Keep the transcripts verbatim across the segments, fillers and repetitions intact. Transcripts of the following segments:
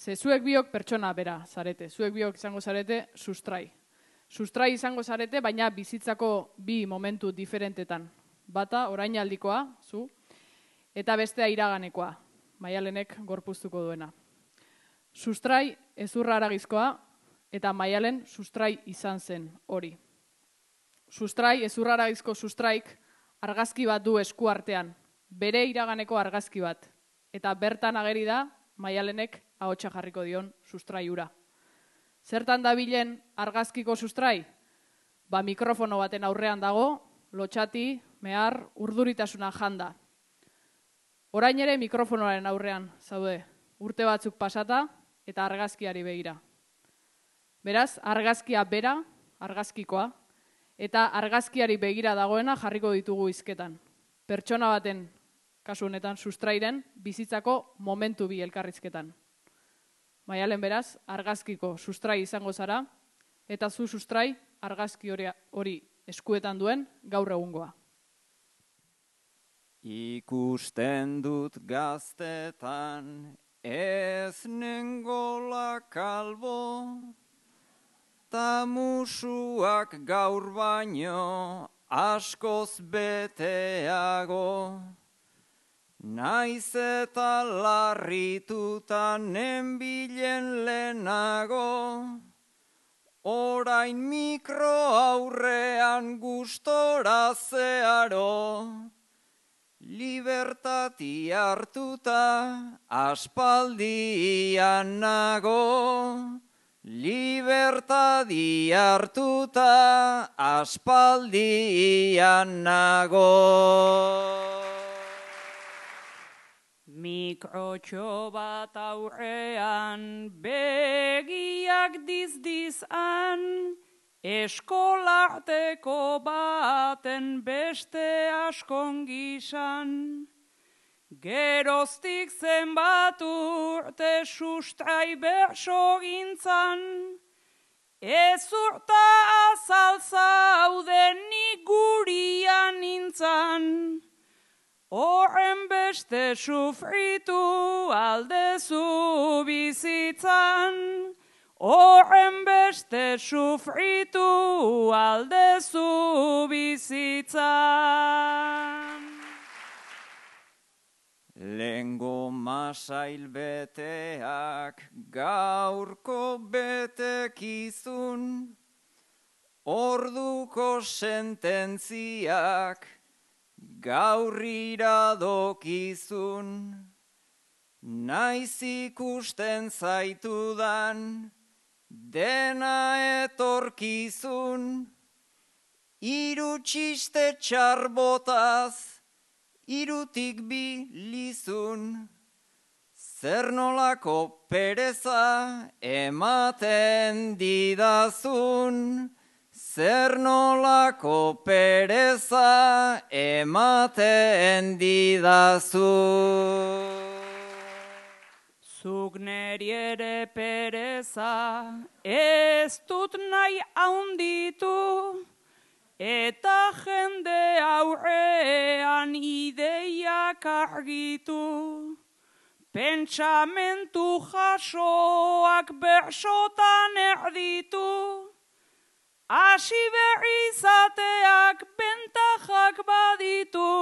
Ze zuek biok pertsona bera zarete, zuek biok izango zarete sustrai. Sustrai izango zarete, baina bizitzako bi momentu diferentetan. Bata, orainaldikoa, zu, eta bestea iraganekoa, Maialenek gorpuztuko duena. Sustrai ezurra haragizkoa, eta Maialen sustrai izan zen hori. Sustrai, ezurra haragizko sustraik, argazki bat du esku artean, bere iraganeko argazki bat, eta bertan ageri da Maialenek ahotsa jarriko dion sustrai hura. Zertan dabilen argazkiko sustrai? Ba mikrofono baten aurrean dago, lotxati, mehar, urduritasuna janda. Orain ere mikrofonoaren aurrean zaude, urte batzuk pasata eta argazkiari begira. Beraz, argazkia bera, argazkikoa, eta argazkiari begira dagoena jarriko ditugu hizketan. Pertsona baten, kasu honetan sustrairen, bizitzako momentu bi elkarrizketan. Maialen beraz, argazkiko sustrai izango zara, eta zu sustrai argazki hori eskuetan duen gaur egungoa. Ikusten dut gaztetan ez nengola kalbo, ta musuak gaur baino askoz beteago. Naiz eta larrituta nenbilen lehenago, orain mikro aurrean gustora zeharo, libertati hartuta aspaldian nago, libertati hartuta aspaldian nago. Mikrotxo bat aurrean begiak dizdizan, eskolarteko baten beste askon gisan. Geroztik zenbat urte sustrai berso gintzan, ez urta azal zauden nik gurian nintzan. Horren beste sufritu aldezu bizitzan, horren beste sufritu aldezu bizitzan. Lengo masail beteak gaurko betekizun, orduko sententziak gaur iradokizun. Naiz ikusten zaitudan dena etorkizun, hiru txiste txarbotaz, hirutik bi lizun. Zer nolako pereza ematen didazun, zer nolako pereza ematen didazun. Zuk neri ere pereza ez dut nahi haunditu, eta jende aurrean ideiak argitu. Pentsamentu jasoak bersotan erditu, hasi berri izateak bentajak baditu.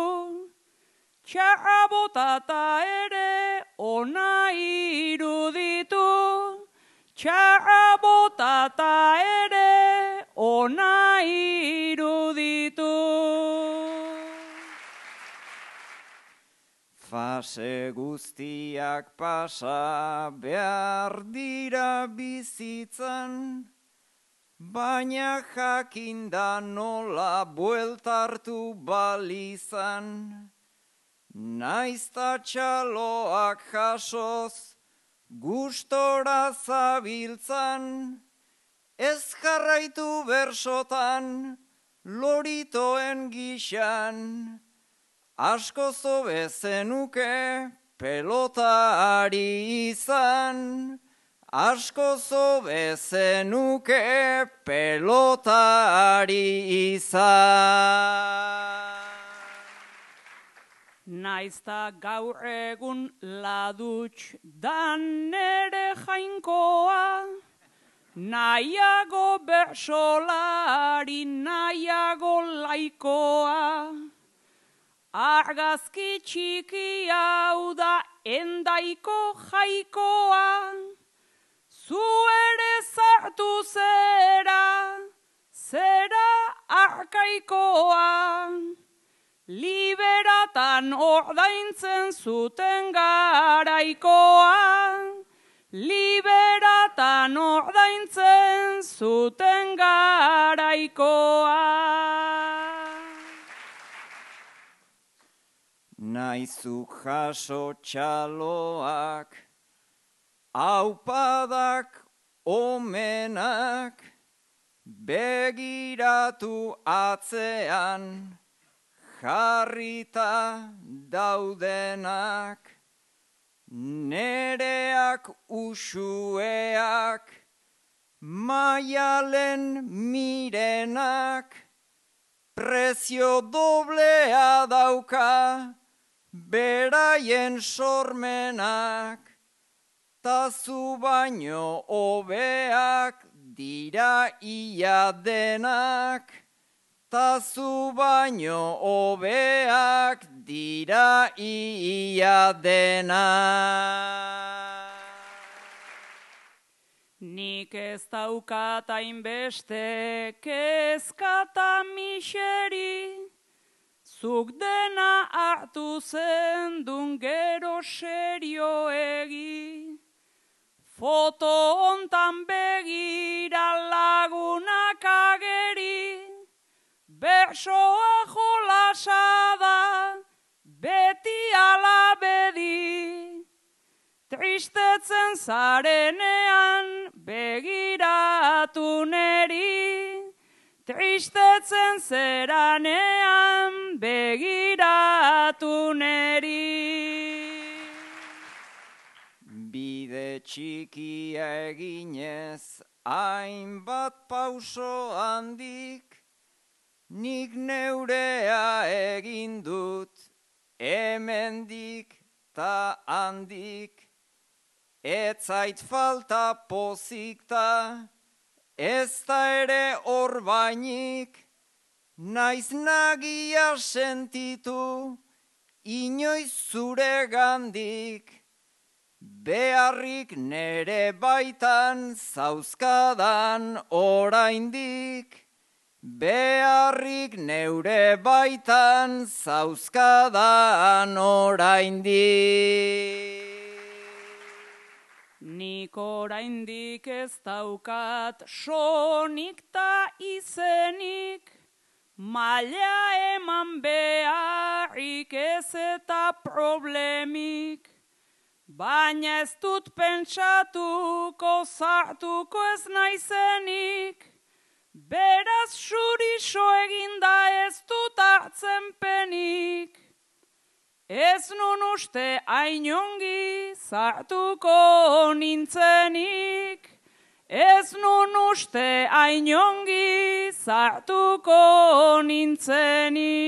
Txarra botata ere ona iruditu, txarra botata ere ona iruditu. Fase guztiak pasa behar dira bizitzan, baina jakinda nola bueltartu balizan. Naizta txaloak jasoz, gustora zabiltzan, ez jarraitu bersotan, loritoen gixan. Asko zobe zenuke pelotari izan, asko zobe zenuke pelotari izan. Naizta gaur egun ladutx dan nere jain nahiago bersolari, nahiago laikoa, argazki txiki hau da endaiko jaikoa, zu ere zartu zera, zera arkaikoa, liberatan ordaintzen zuten garaikoa, liberatan ordaintzen zuten garaikoa. Naizuk jaso txaloak, aupadak omenak, begiratu atzean, jarrita daudenak, nereak usueak, maialen mirenak, prezio doblea dauka, beraien sormenak, tazu baino hobeak dira ia denak, tazu baino hobeak dira ia denak. Nik ez daukat hainbeste kezkata miseri, zuk dena hartu zendun gero serioegi. Foto hontan begira lagunak ageri, bersoa jolasa da, beti alabedi. Tristetzen zarenean begiratu neri, tristetzen zeranean begiratu neri. Bide txikia eginez, hainbat pauso handik, nik neurea egin dut, hemendik ta handik, ez zait falta pozikta, ez da ere orbainik, naiz nagia sentitu, inoiz zure gandik, beharrik nere baitan zauzkadan oraindik, beharrik neure baitan zauzkadan oraindik. Nik oraindik ez daukat sonik ta izenik, maila eman beharrik ez eta problemik, baina ez dut pentsatuko zartuko ez naizenik, beraz xurixo eginda ez dut hartzen penik. Ez nun uste ainongi zartuko nintzenik, ez nun uste ainongi zartuko nintzenik.